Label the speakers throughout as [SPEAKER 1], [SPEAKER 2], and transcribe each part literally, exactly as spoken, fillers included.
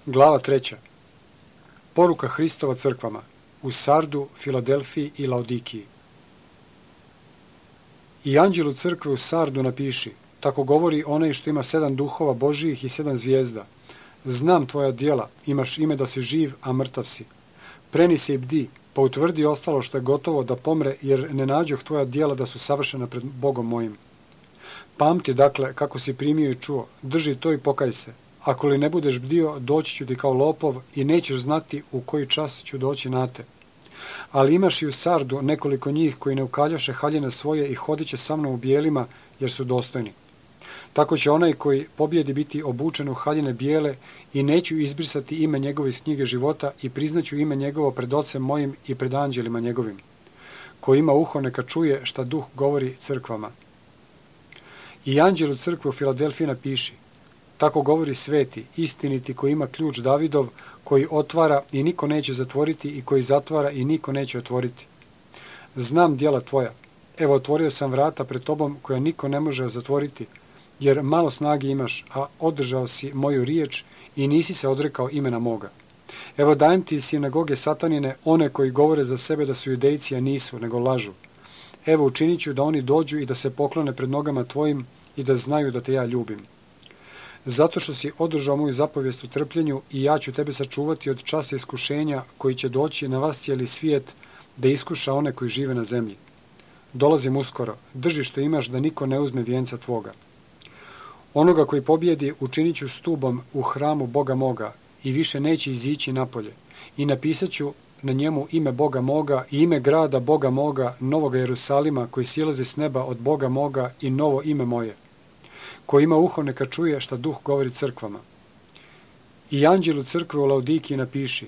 [SPEAKER 1] Glava treća. Poruka Hristova crkvama u Sardu, Filadelfiji i Laodikiji. I anđelu crkve u Sardu napiši, tako govori onaj što ima sedam duhova Božijih i sedam zvijezda. Znam tvoja djela, imaš ime da si živ, a mrtav si. Preni se i bdi, pa utvrdi ostalo što je gotovo da pomre, jer ne nađoh tvoja djela da su savršena pred Bogom mojim. Pamti, dakle, kako si primio i čuo, drži to i pokaj se. Ako li ne budeš bdio, doći ću ti kao lopov i nećeš znati u koji čas ću doći na te. Ali imaš i u Sardu nekoliko njih koji ne ukaljaše haljine svoje i hodit će sa mnom u bijelima, jer su dostojni. Tako će onaj koji pobjedi biti obučen u haljine bijele i neću izbrisati ime njegove iz knjige života i priznaću ime njegovo pred ocem mojim i pred anđelima njegovim. Ko ima uho neka čuje šta duh govori crkvama. I anđelu crkve u Filadelfiji napiši, tako govori sveti, istiniti koji ima ključ Davidov, koji otvara i niko neće zatvoriti i koji zatvara i niko neće otvoriti. Znam djela tvoja. Evo, otvorio sam vrata pred tobom koja niko ne može zatvoriti, jer malo snage imaš, a održao si moju riječ i nisi se odrekao imena moga. Evo, dajem ti iz sinagoge satanine one koji govore za sebe da su judejci, a nisu, nego lažu. Evo, učinit ću da oni dođu i da se poklone pred nogama tvojim i da znaju da te ja ljubim. Zato što si održao moju zapovijest u trpljenju i ja ću tebe sačuvati od časa iskušenja koji će doći na vas cijeli svijet da iskuša one koji žive na zemlji. Dolazim uskoro, drži što imaš da niko ne uzme vijenca tvoga. Onoga koji pobjedi učinit ću stubom u hramu Boga moga i više neće izići napolje i napisat ću na njemu ime Boga moga i ime grada Boga moga, Novoga Jerusalima koji silazi s neba od Boga moga i novo ime moje. Ko ima uho neka čuje šta duh govori crkvama. I anđelu crkve u Laodikiji napiši,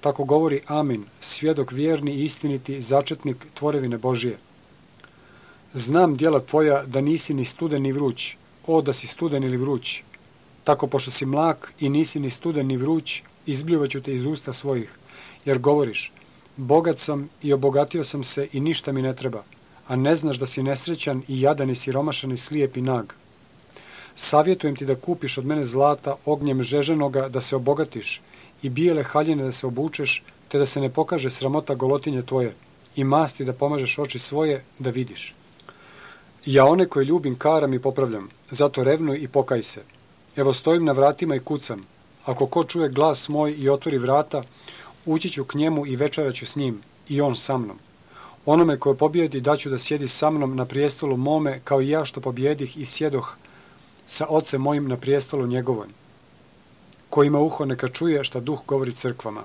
[SPEAKER 1] tako govori Amin, svjedok vjerni i istiniti, začetnik tvorevine Božije. Znam djela tvoja da nisi ni studen ni vruć, o da si studen ili vruć. Tako pošto si mlak i nisi ni studen ni vruć, izbljuvaću te iz usta svojih, jer govoriš, bogat sam i obogatio sam se i ništa mi ne treba, a ne znaš da si nesrećan i jadan i siromašan i slijep i nag. Savjetujem ti da kupiš od mene zlata ognjem žeženoga da se obogatiš i bijele haljine da se obučeš, te da se ne pokaže sramota golotinje tvoje i masti da pomažeš oči svoje da vidiš. Ja one koje ljubim karam i popravljam, zato revnuj i pokaj se. Evo stojim na vratima i kucam. Ako ko čuje glas moj i otvori vrata, ući ću k njemu i večerat ću s njim i on sa mnom. Onome koje pobjedi daću da sjedi sa mnom na prijestolu mome kao i ja što pobjedih i sjedoh sa ocem mojim na prijestolu njegovom. Ko ima uho neka čuje šta duh govori crkvama.